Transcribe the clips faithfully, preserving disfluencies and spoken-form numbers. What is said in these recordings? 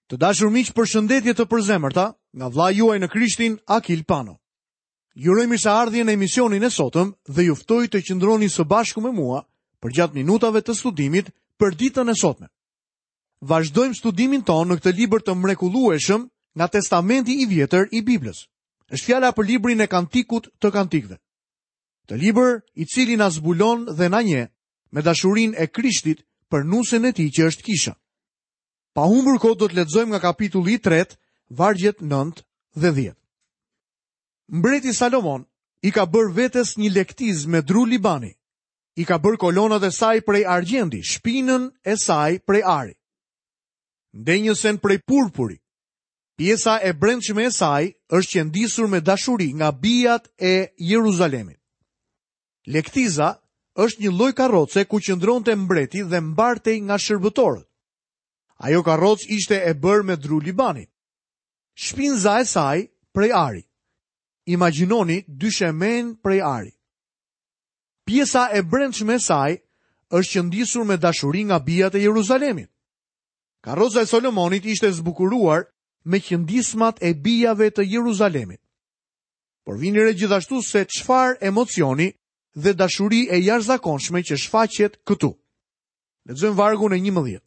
Të dashur miq, përshëndetje të përzemërta nga vëllai juaj në Krishtin, Akil Pano. Ju uroj mirëseardhjen në emisionin e sotëm dhe ju ftoj të qëndroni së bashku me mua përgjatë minutave të studimit për ditën e sotme. Vazhdojmë studimin tonë në këtë libër të mrekullueshëm nga Testamenti i Vjetër i Biblës. Është fjala për librin e Kantikut të Kantikëve. Të libër i cili na zbulon dhe na njeh me dashurinë e Krishtit për nusen e tij që është kisha. Pa humbur kohë do të lexojmë nga kapitulli i tretë, vargjet nëntë dhe dhjetë. Mbreti Salomon i ka bërë vetes një lektizë me dru Libani. I ka bërë kolonat e saj prej argjendi, shpinën e saj prej ari. Ndenjësen prej purpuri. Pjesa e brendshme e saj është qëndisur me dashuri nga bijat e Jeruzalemit. Lektiza është një lloj karroce ku qëndronte mbreti dhe mbartej nga shërbëtorët. Ajo karrocë ishte e bërë me dru Libani. Shpinza e saj prej ari. Imagjinoni dyshemen prej ari. Pjesa e brendshme e saj është qëndisur me dashuri nga bijat e Jeruzalemit. Karroca e Solomonit ishte zbukuruar me qëndismat e bijave të Jeruzalemit. Por vini re gjithashtu se çfarë emocioni dhe dashuri e jashtëzakonshme që shfaqet këtu. Lexojmë vargun e njëmbëdhjetë.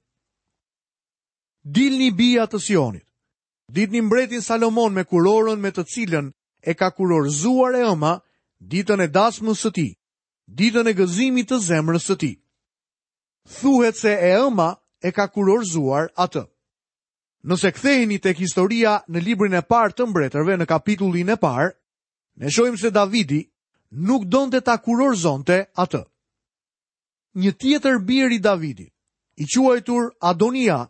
Dilni bija të Sionit. Ditni mbretin Salomon me kurorën me të cilën e ka kurorzuar e ëma ditën e dasmës së tij, ditën e gëzimit të zemrës së tij. Thuhet se e ëma e ka kurorzuar atë. Nëse ktheheni tek historia në librin e parë të mbretërve në kapitullin e parë, ne shohim se Davidi nuk donte ta kurorzonte atë. Një tjetër bir i Davidit, i quajtur Adonia,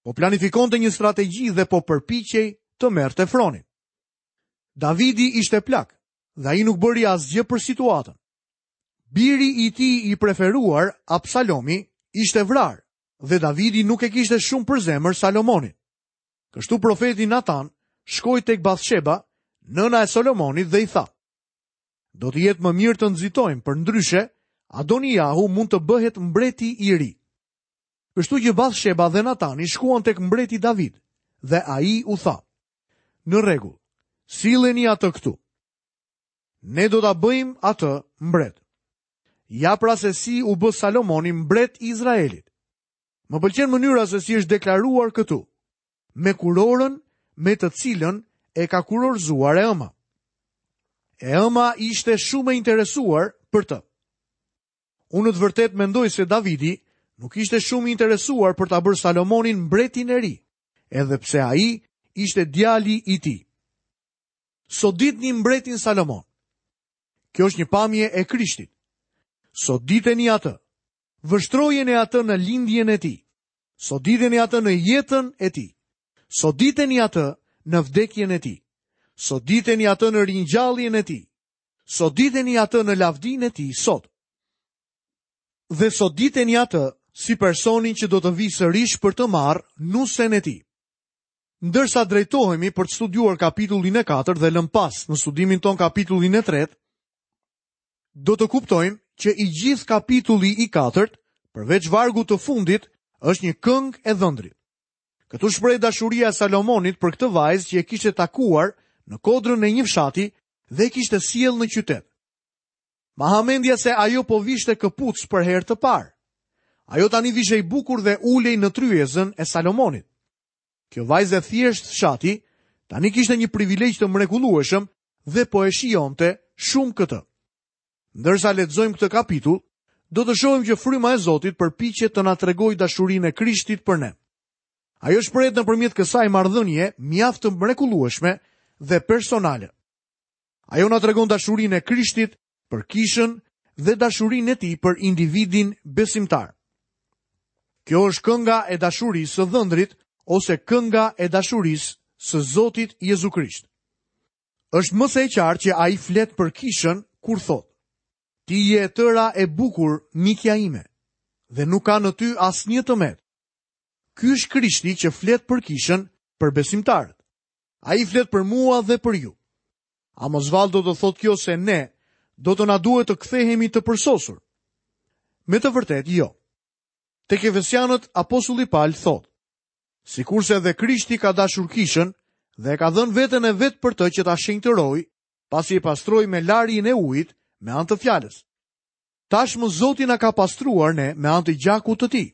po planifikonte një strategji dhe po përpiqej të merrte fronin. Davidi ishte plak dhe ai nuk bëri asgjë për situatën. Biri i tij i preferuar, Absalomi, ishte vrarë dhe Davidi nuk e kishte shumë për zemër Salomonin. Kështu profeti Natan shkoi tek Bathsheba, nëna e Solomonit, dhe i tha: Do të jetë më mirë të nxitojmë, përndryshe Adonijahu mund të bëhet mbreti i ri. Kështu që Bathsheba dhe Natani shkuan tek mbreti David dhe ai u tha: Në rregull, silleni atë këtu. Ne do ta bëjmë atë mbret. Ja pra se si u bë Salomoni mbret i Izraelit. Më pëlqen mënyra se si është deklaruar këtu, me kurorën me të cilën e ka kurorzuar e ëma. E ëma ishte shumë e interesuar për të. Unë në të vërtetë mendoj se Davidi nuk ishte shumë i interesuar për ta bërë Salomonin mbretin e ri, edhe pse ai ishte djali i tij. Soditni mbretin Salomon. Kjo është një pamje e Krishtit. Soditeni atë. Vështrojeni atë në lindjen e tij. Soditeni atë në jetën e tij. Soditeni atë në vdekjen e tij. Soditeni atë në ringjalljen e tij. Soditeni atë në lavdinë e tij sot. Dhe soditeni atë si personin që do të vijë sërish për të marrë nusen e tij. Ndërsa drejtohemi për të studiuar kapitullin e katërt dhe lëm pas në studimin ton kapitullin e tretë, do të kuptojmë që i gjithë kapitulli i katërt, përveç vargut të fundit, është një këngë e dhëndrit. Këtu shpreh dashuria e Salomonit për këtë vajzë që e kishte takuar në kodrën e një fshati dhe e kishte sjellë në qytet. Ma ha mendja se ajo po vishte këpuc për herë të parë. Ajo tani vishej bukur dhe ulej në tryezën e Salomonit. Kjo vajzë e thjeshtë fshati tani kishte një privilegj të mrekullueshëm dhe po e shijonte shumë këtë. Ndërsa lexojmë këtë kapitull, do të shohim që fryma e Zotit përpiqet të na tregojë dashurinë e Krishtit për ne. Ajo shprehet nëpërmjet kësaj marrëdhënie mjaft të mrekullueshme dhe personale. Ajo na tregon dashurinë e Krishtit për kishën dhe dashurinë e tij për individin besimtar. Kjo është kënga e dashurisë së dhëndrit ose kënga e dashurisë së Zotit Jezu Krisht. Është më se e qartë që ai flet për kishën kur thotë: Ti je e tëra e bukur, mikja ime, dhe nuk ka në ty asnjë të metë. Ky është Krishti që flet për kishën, për besimtarët. Ai flet për mua dhe për ju. A mos vallë do të thotë kjo se ne do të na duhet të kthehemi të përsosur? Me të vërtetë jo. Tek Efesianët apostulli Paul thotë: Sikurse edhe Krishti ka dashur kishën dhe e ka dhënë veten e vet për të që ta shenjtërojë, pasi e pastroi me larjen e ujit me anë të fjalës. Tashmë Zoti na ka pastruar ne me anë të gjakut të tij,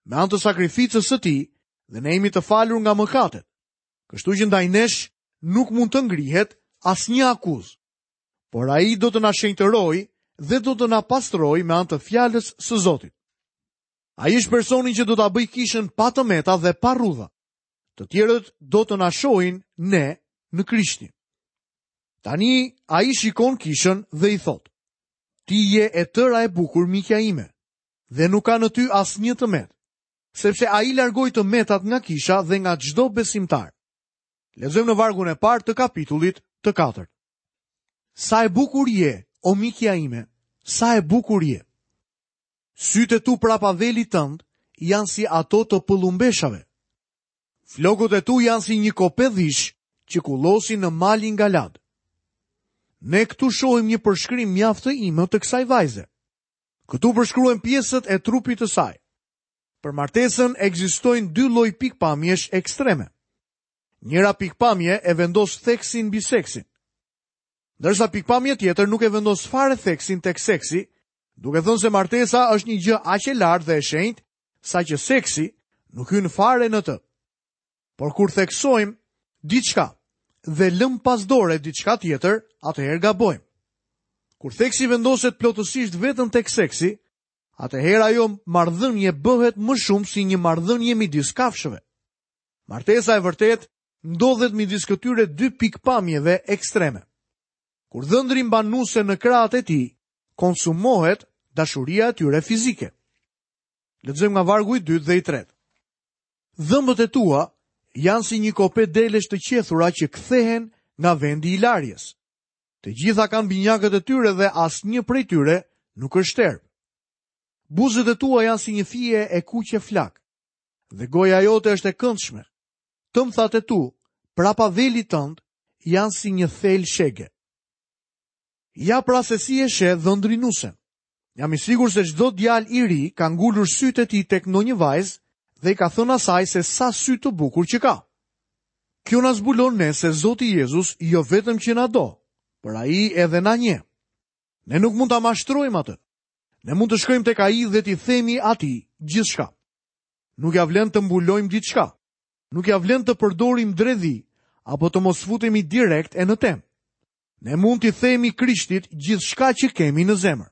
me anë të sakrificës së tij, dhe ne jemi të falur nga mëkatet. Kështu që ndaj nesh nuk mund të ngrihet asnjë akuzë. Por ai do të na shenjtërojë dhe do të na pastrojë me anë të fjalës së Zotit. Ai është personi që do ta bëjë kishën pa të meta dhe pa rrudha. Të tjerët do të na shohin ne në Krishtin. Tani ai shikon kishën dhe i thotë: Ti je e tëra e bukur, mikja ime, dhe nuk ka në ty asnjë të metë, sepse ai largoi të metat nga kisha dhe nga çdo besimtar. Lexojmë në vargun e parë të kapitullit të katërt. Sa e bukur je, o mikja ime, sa e bukur je. Sytë e tu prapa velit tënd janë si ato të pëllumbeshave. Flokët e tu janë si një kope dhish që kullosin në malin Galad. Ne këtu shohim një përshkrim mjaft të imët të kësaj vajze. Këtu përshkruhen pjesët e trupit të saj. Për martesën ekzistojnë dy lloj pikpamjesh ekstreme. Njëra pikpamje e vendos theksin mbi seksin, ndërsa pikpamje tjetër nuk e vendos fare theksin tek seksi, duke thënë se martesa është një gjë aq e lartë dhe e shenjtë, saqë seksi nuk hyn fare në të. Por kur theksojmë diçka dhe lëm pas dore diçka tjetër, atëherë gabojmë. Kur theksi vendoset plotësisht vetëm tek seksi, atëherë ajo marrëdhënie bëhet më shumë si një marrëdhënie midis kafshëve. Martesa e vërtetë ndodhet midis këtyre dy pikpamjeve ekstreme. Kur dhëndri mban nuse në krahët e tij, konsumohet dashuria e tyre fizike. Lexojmë nga vargu i dytë dhe i tretë. Dhëmbët e tua janë si një kope delesh të qethura që kthehen nga vendi i larjes. Të gjitha kanë binjakët e tyre dhe asnjë prej tyre nuk është shterp. Buzët e tua janë si një fije e kuqe flak, dhe goja jote është e këndshme. Tëmthat e tu, prapa velit tënd, janë si një thel shege. Ja pra se si e sheh dhëndri nusen. Jam i sigurt se çdo djalë i ri ka ngulur sytë e tij tek ndonjë vajzë dhe i ka thënë asaj se sa sy të bukur që ka. Kjo na zbulon ne se Zoti Jezus jo vetëm që na do, por ai edhe na njeh. Ne nuk mund ta mashtrojmë atë. Ne mund të shkojmë tek ai dhe t'i themi atij gjithçka. Nuk ja vlen të mbulojmë diçka. Nuk ja vlen të përdorim dredhi apo të mos futemi direkt e në temë. Ne mund t'i themi Krishtit gjithçka që kemi në zemër.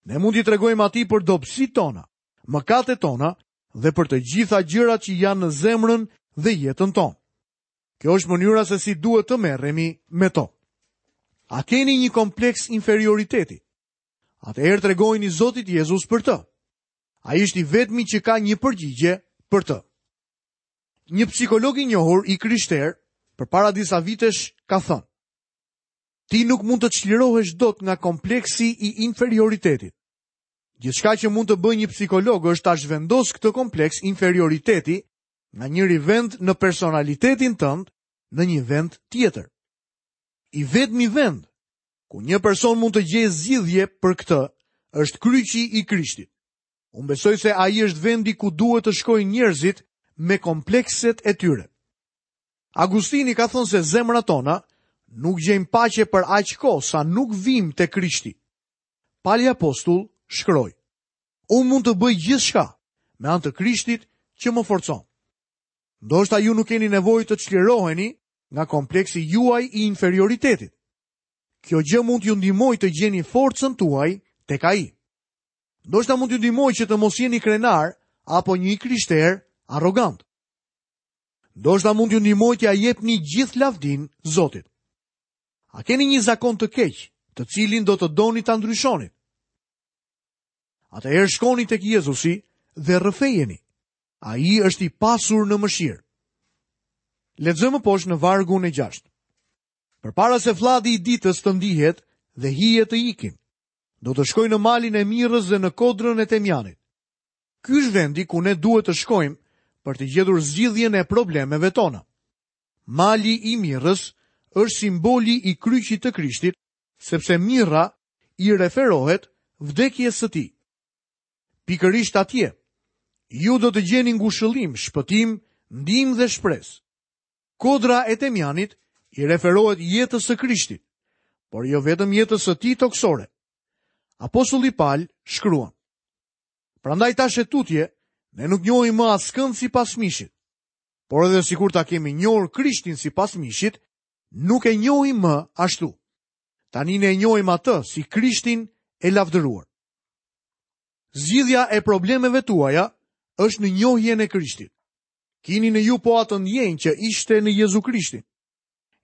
Ne mund t'i tregojmë atij për dobësitë tona, mëkatet tona dhe për të gjitha gjërat që janë në zemrën dhe jetën tonë. Kjo është mënyra se si duhet të merremi me to. A keni një kompleks inferioriteti? Atëherë tregojini Zotit Jezus për të. Ai është i vetmi që ka një përgjigje për të. Një psikolog i njohur i krishter përpara disa vitesh ka thënë: Ti nuk mund të çlirohesh dot nga kompleksi i inferioritetit. Gjithçka që mund të bëjë një psikolog është ta zhvendosë këtë kompleks inferioriteti nga njëri vend në personalitetin tënd në një vend tjetër. I vetmi vend ku një person mund të gjejë zgjidhje për këtë është kryqi i Krishtit. Unë besoj se ai është vendi ku duhet të shkojnë njerëzit me komplekset e tyre. Agustini ka thënë se zemrat tona nuk gjejnë paqe për aq kohë sa nuk vim te Krishti. Pali Apostull shkroi: Unë mund të bëj gjithçka me anë të Krishtit që më forcon. Ndoshta ju nuk keni nevojë të çliroheni nga kompleksi juaj i inferioritetit. Kjo gjë mund t'ju ndihmojë të gjeni forcën tuaj tek ai. Ndoshta mund t'ju ndihmojë që të mos jeni krenar apo një i krishter arrogant. Ndoshta mund t'ju ndihmojë t'ia jepni gjithë lavdin Zotit. A keni një zakon të keq, të cilin do të doni ta ndryshoni? Atëherë shkoni tek Jezusi dhe rrëfejeni. Ai është i pasur në mëshirë. Lexojmë poshtë në vargun e gjashtë. Përpara se flladi i ditës të ndihet dhe hije të ikin, do të shkoj në malin e Mirës dhe në kodrën e Temjanit. Ky është vendi ku ne duhet të shkojmë për të gjetur zgjidhjen e problemeve tona. Mali i Mirës është simboli i kryqit të Krishtit, sepse mirra i referohet vdekjes së tij. Pikërisht atje, ju do të gjeni ngushëllim, shpëtim ndihmë dhe shpresë. Kodra e temjanit i referohet jetës së Krishtit, por jo vetëm jetës së tij tokësore. Apostulli Pal shkruan: Prandaj tash e tutje, ne nuk njohim më askënd sipas mishit, por edhe sikur ta kemi njohur Krishtin sipas mishit, nuk e njohim më ashtu. Tani ne e njohim atë si Krishtin e lavdëruar. Zgjidhja e problemeve tuaja është në njohjen e Krishtit. Kini në ju po atë ndjenjë që ishte në Jezu Krishtin.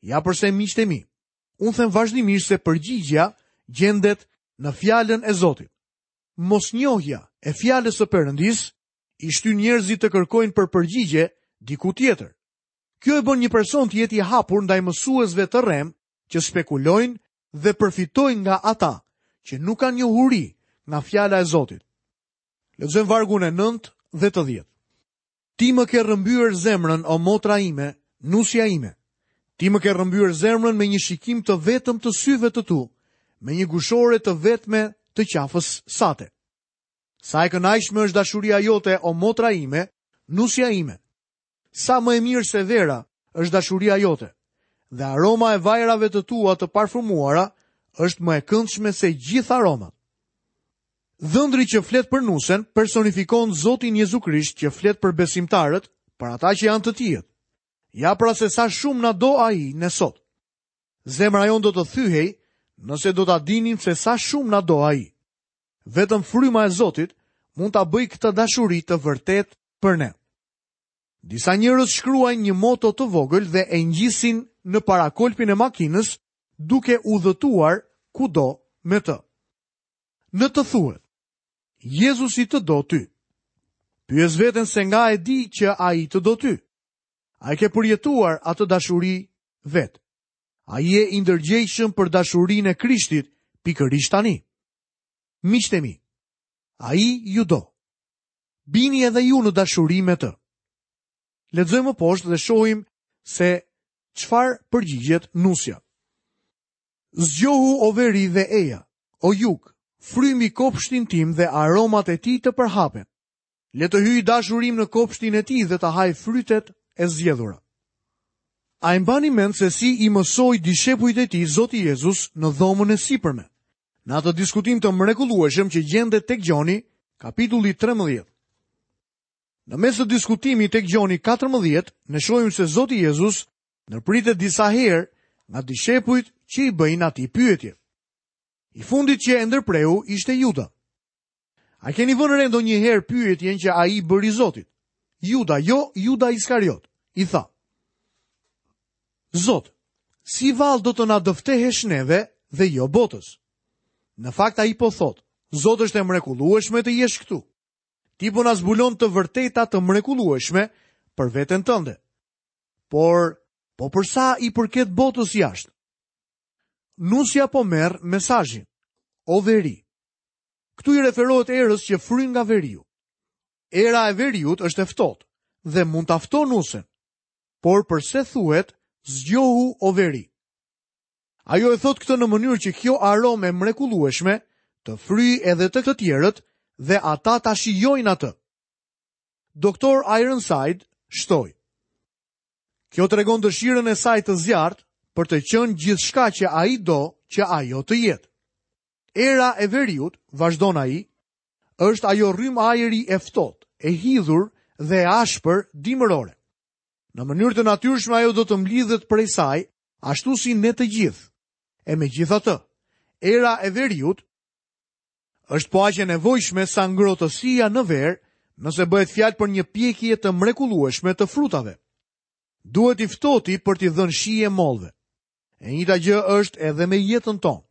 Ja përse, miqtë e mi, unë them vazhdimisht se përgjigja gjendet në fjalën e Zotit. Mosnjohja e fjalës së Perëndisë i shtyn njerëzit të kërkojnë për përgjigje diku tjetër. Kjo e bën një person të jetë i hapur ndaj mësuesve të rrem që spekulojnë dhe përfitojnë nga ata që nuk kanë njohuri nga fjala e Zotit. Lexojmë vargun e nëntë dhe të dhjetë. Ti më ke rrëmbyer zemrën, o motra ime, nusja ime. Ti më ke rrëmbyer zemrën me një shikim të vetëm të syve të tu, me një gushore të vetme të qafës sate. Sa e kënaqshme është dashuria jote, o motra ime, nusja ime. Sa më e mirë se vera është dashuria jote, dhe aroma e vajrave të tua të parfumuara është më e këndshme se gjithë aromat. Dhëndri që flet për nusen personifikon Zotin Jezu Krisht që flet për besimtarët, për ata që janë të tijët. Ja pra se sa shumë na do ai ne sot. Zemra jonë do të thyhej nëse do ta dinim se sa shumë na do ai. Vetëm fryma e Zotit mund ta bëjë këtë dashuri të vërtetë për ne. Disa njerëz shkruajnë një moto të vogël dhe e ngjisin në parakolpin e makinës duke udhëtuar kudo me të. Në të thuhet: Jezusi të do ty. Pyes veten se nga e di që ai të do ty. A e ke përjetuar atë dashuri vetë? A je i ndërgjegjshëm për dashurinë e Krishtit pikërisht tani? Miqtë e mi, ai ju do. Bini edhe ju në dashuri me të. Lexojmë më poshtë dhe shohim se çfarë përgjigjet nusja. Zgjohu o veri dhe eja, o jug, frymi kopshtin tim dhe aromat e tij të përhapen. Le të hyjë dashurim në kopshtin e tij dhe të hajë frytet e zgjedhura. A e mbani mend se si i mësoi dishepujt e tij Zoti Jezus në dhomën e sipërme? Në atë diskutim të mrekullueshëm që gjendet tek Gjoni, kapitulli trembëdhjetë. Në mes të diskutimit tek Gjoni katërmbëdhjetë, ne shohim se Zoti Jezus ndërpritet disa herë nga dishepujt që i bëjnë atij pyetje. I fundit që e ndërpreu ishte Juda. A keni vënë re ndonjëherë pyetjen që ai bëri Zotit? Juda, jo Juda Iskariot, i tha: Zot, si vallë do të na dëftehesh neve dhe jo botës? Në fakt ai po thotë: Zot, është e mrekullueshme të jesh këtu. Ti po na zbulon të vërteta të mrekullueshme për veten tënde. Por, po për sa i përket botës jashtë? Nusja po merr mesazhin: o veri. Këtu i referohet erës që fryn nga veriu. Era e veriut është e ftohtë dhe mund ta ftohë nusen. Por përse thuhet zgjohu o veri? Ajo e thot këtë në mënyrë që kjo aromë e mrekullueshme të fryjë edhe të të tjerët dhe ata ta shijojnë atë. Doktor Ironside shtoi: Kjo tregon dëshirën e saj të zjarrt për të qenë gjithçka që ai do që ajo të jetë. Era e veriut, vazhdon ai, është ajo rrymë ajri e ftohtë, e hidhur dhe e ashpër dimërore. Në mënyrë të natyrshme ajo do të mblidhet prej saj, ashtu si ne të gjithë. E megjithatë, era e veriut është po aq e nevojshme sa ngrohtësia në verë, nëse bëhet fjalë për një pjekje të mrekullueshme të frutave. Duhet i ftohti për t'i dhënë shije mollëve. E njëjta gjë është edhe me jetën tonë.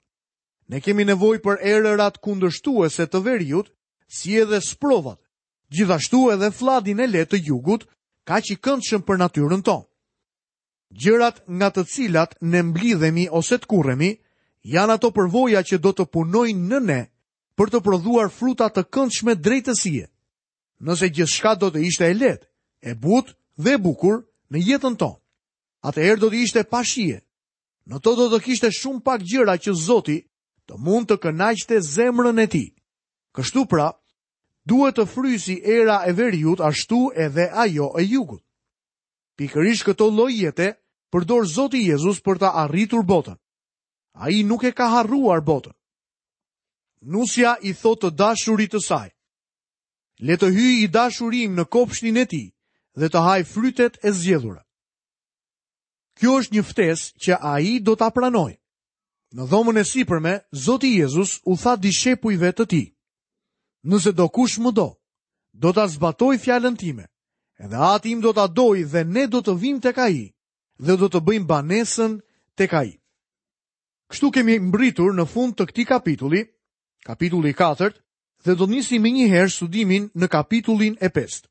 Ne kemi nevojë për erërat kundërshtuese të veriut, si edhe sprovat, gjithashtu edhe fladin e lehtë të jugut, kaq i këndshëm për natyrën tonë. Gjërat nga të cilat ne mblidhemi ose të kurremi, janë ato përvoja që do të punojnë në ne për të prodhuar fruta të këndshme drejtësie. Nëse gjithçka do të ishte e lehtë, e butë dhe e bukur në jetën tonë, atëherë do të ishte pa shije. Në to do të kishte shumë pak gjëra që Zoti të mund të kënaqte zemrën e tij. Kështu pra, duhet të frysi era e veriut ashtu edhe ajo e jugut. Pikërisht këto lloj jete përdor Zoti Jezus për ta arritur botën. Ai nuk e ka harruar botën. Nusja i thotë të dashurit të saj: Le të hyjë i dashuri im në kopshtin e tij dhe të hajë frytet e zgjedhura. Kjo është një ftesë që ai do ta pranojë. Në dhomën e sipërme, Zoti Jezus u tha dishepujve të tij: Nëse do kush më do, do ta zbatoj fjalën time, edhe Ati im do ta dojë dhe ne do të vim tek ai dhe do të bëjmë banesën tek ai. Kështu kemi mbritur në fund të këtij kapitulli, kapitulli i katërt, dhe do të nisim menjëherë studimin në kapitullin e pestë.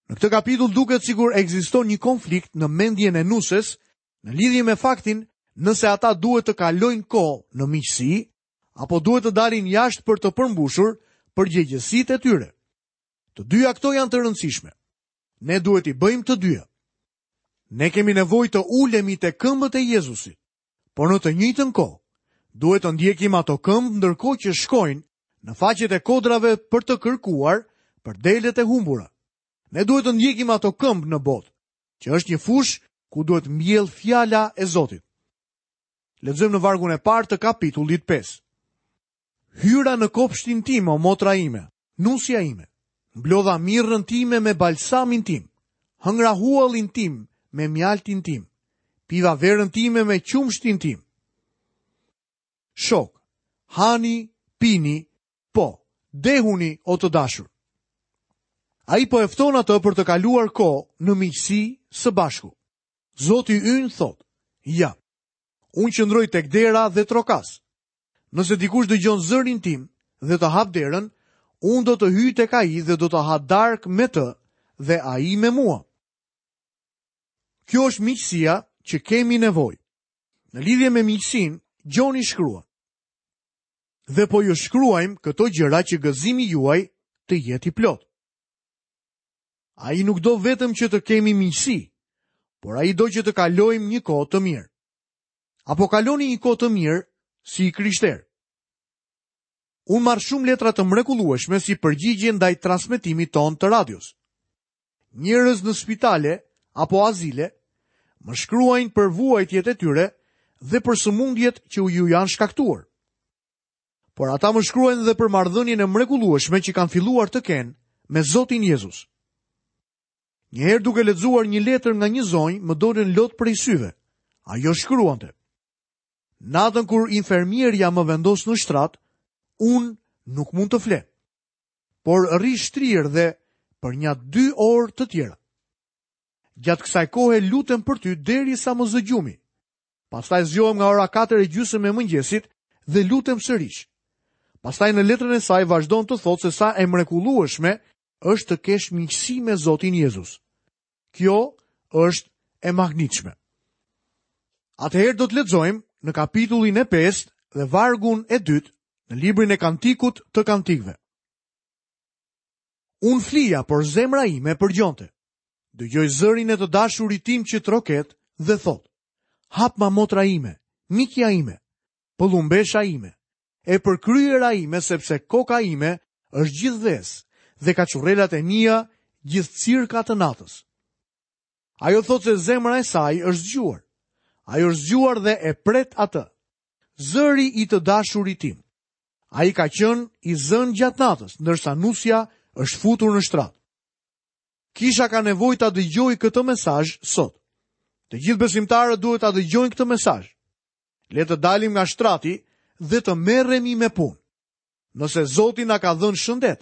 Në këtë kapitull duket sikur ekziston një konflikt në mendjen e nuses në lidhje me faktin nëse ata duhet të kalojnë kohë në miqësi apo duhet të dalin jashtë për të përmbushur përgjegjësitë e tyre. Të dyja këto janë të rëndësishme. Ne duhet i bëjmë të dyja. Ne kemi nevojë të ulemi te këmbët e Jezusit, por në të njëjtën kohë duhet të ndjekim ato këmbë ndërkohë që shkojnë në faqet e kodrave për të kërkuar për delet e humbura. Ne duhet të ndjekim ato këmbë në botë, që është një fushë ku duhet mbjell fjala e Zotit. Lexojmë në vargun e parë të kapitullit pesë. Hyra në kopshtin tim, o motra ime, nusja ime. Mblodha mirrën time me balsamin tim, hëngra huallin tim me mjaltin tim, piva verën time me qumshtin tim. Shok, hani, pini, po, dehuni o të dashur. Ai po e fton atë për të kaluar kohë në miqësi së bashku. Zoti ynë thotë: Ja, unë qëndroj tek dera dhe trokas. Nëse dikush dëgjon zërin tim dhe të hap derën, unë do të hyj tek ai dhe do të ha darkë me të dhe ai me mua. Kjo është miqësia që kemi nevojë. Në lidhje me miqësinë, Gjoni shkruan: Dhe po ju shkruajmë këto gjëra që gëzimi juaj të jetë i plot. Ai nuk do vetëm që të kemi miqësi, por ai do që të kalojmë një kohë të mirë. Apo kaloni një kohë të mirë si i krishterë? Unë marr shumë letra të mrekullueshme si përgjigje ndaj transmetimit ton të radios. Njerëz në spitale apo azile më shkruajnë për vuajtjet e tyre dhe për sëmundjet që ju janë shkaktuar. Por ata më shkruajnë edhe për marrëdhënien e mrekullueshme që kanë filluar të kenë me Zotin Jezus. Një herë duke lexuar një letër nga një zonjë, më dolën lot prej syve. Ajo shkruante: Natën kur infermierja më vendos në shtrat, unë nuk mund të fle, por rri shtrirë dhe për nja dy orë të tjera. Gjatë kësaj kohe lutem për ty derisa më zë gjumi. Pastaj zgjohem nga ora katër e gjysmë e mëngjesit dhe lutem sërish. Pastaj në letrën e saj vazhdon të thotë se sa e mrekullueshme është të kesh miqësi me Zotin Jezus. Kjo është e magnitshme. Atëherë do të lexojmë në kapitullin e pestë dhe vargun e dytë në librin e Kantikut të Kantikëve. Unë flija, por zemra ime përgjonte. Dëgjoj zërin e të dashurit tim që troket dhe thotë: Hapma motra ime, mikja ime, pëllumbesha ime, e përkryera ime, sepse koka ime është gjithë dhes dhe kaçurrelat e mia gjithë cirka të natës. Ajo thotë se zemra e saj është zgjuar. Ajo është zgjuar dhe e pret atë. Zëri i të dashurit tim. Ai ka qenë i zënë gjatë natës, ndërsa nusja është futur në shtrat. Kisha ka nevojë ta dëgjojë këtë mesazh sot. Të gjithë besimtarët duhet ta dëgjojnë këtë mesazh. Le të dalim nga shtrati dhe të merremi me punë. Nëse Zoti na ka dhënë shëndet,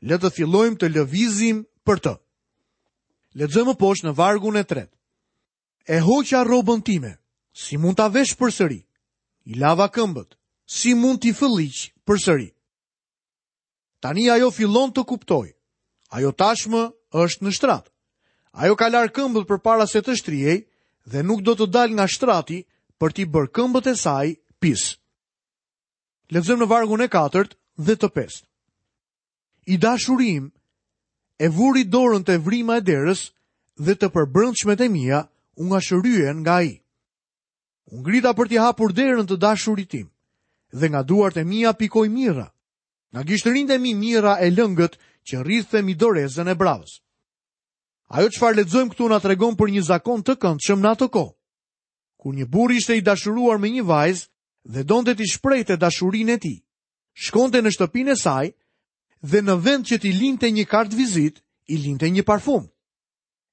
le të fillojmë të lëvizim për të. Lexojmë poshtë në vargun e tretë. E hoqa rrobën time, si mund ta vesh përsëri? I lava këmbët, si mund t'i fëlliq përsëri? Tani ajo fillon të kuptojë. Ajo tashmë është në shtrat. Ajo ka larë këmbët përpara se të shtrihej dhe nuk do të dalë nga shtrati për t'i bërë këmbët e saj pis. Lexojmë në vargun e katërt dhe të pestë. I dashuri im e vuri dorën te vrima e derës dhe të përbrendshmet e mia u ngashëryen nga ai. U ngrita për t'i hapur derën të dashurit tim dhe nga duart e mia pikoi mirra. Nga gishtërinjtë e mi mirra e lëngët që rridhte mi dorezën e bravës. Ajo çfarë lexojmë këtu na tregon për një zakon të këndshëm në atë kohë. Kur një burrë ishte i dashuruar me një vajzë dhe donte t'i shprehte dashurinë e tij, shkonte në shtëpinë e saj dhe në vend që t'i linte një kartë vizitë, i linte një parfum.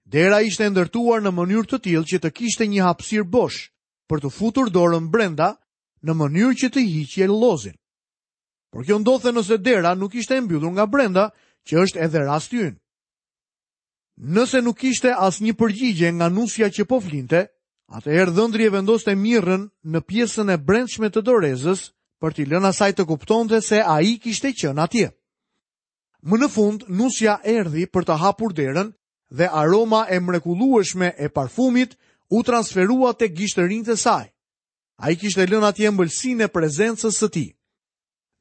Dera ishte ndërtuar në mënyrë të tillë që të kishte një hapësirë bosh për të futur dorën brenda në mënyrë që të hiqje llozin. Por kjo ndodhte nëse dera nuk ishte e mbyllur nga brenda, që është edhe rasti ynë. Nëse nuk kishte asnjë përgjigje nga nusja që po flinte, atëherë dhëndri e vendoste mirën në pjesën e brendshme të dorezës për t'i lënë asaj të kuptonte se ai kishte qenë atje. Më në fund, nusja erdhi për të hapur derën dhe aroma e mrekullueshme e parfumit u transferua tek gishtërinjtë e saj. Ai kishte lënë atje ëmbëlsinë e prezencës së tij.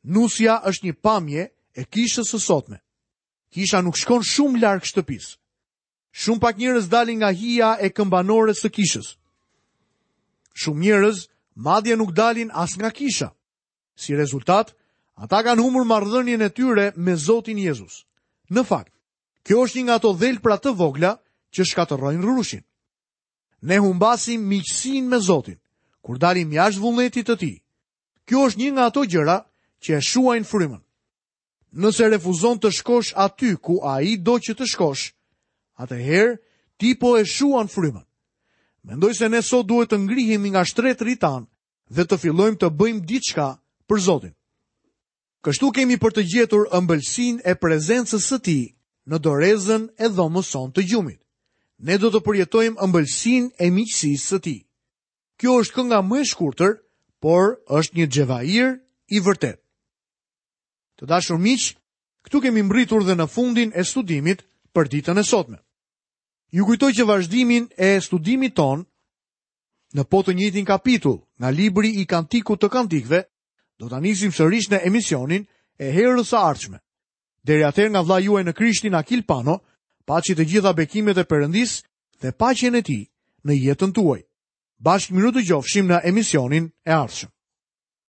Nusja është një pamje e kishës së sotme. Kisha nuk shkon shumë larg shtëpisë. Shumë pak njerëz dalin nga hija e këmbanores së kishës. Shumë njerëz madje nuk dalin as nga kisha. Si rezultat, ata kanë humbur marrëdhënien e tyre me Zotin Jezus. Në fakt, kjo është një nga ato dhelpra të vogla që shkatërrojnë rrushin. Ne humbasim miqësinë me Zotin kur dalim jashtë vullnetit të tij. Kjo është një nga ato gjëra që e shuajnë frymën. Nëse refuzon të shkosh aty ku ai do që të shkosh, atëherë ti po e shuan frymën. Mendoj se ne sot duhet të ngrihemi nga shtretërit tanë dhe të fillojmë të bëjmë diçka për Zotin. Kështu kemi për të gjetur ëmbëlsinë e prezencës së tij në dorezën e dhomës sonë të gjumit. Ne do të përjetojmë ëmbëlsinë e miqësisë së tij. Kjo është kënga më e shkurtër, por është një xhevair i vërtetë. Të dashur miq, këtu kemi mbritur dhe në fundin e studimit për ditën e sotme. Ju kujtoj që vazhdimin e studimit ton në po të njëjtin kapitull nga libri i Kantikut të Kantikëve do ta nisim sërish në emisionin e herës së ardhshme. Deri atëherë nga vëllai juaj në Krishtin Akil Pano, paçi të gjitha bekimet e Perëndisë dhe paqen e tij në jetën tuaj. Bashkë mirudëgjofshim në emisionin e ardhshëm.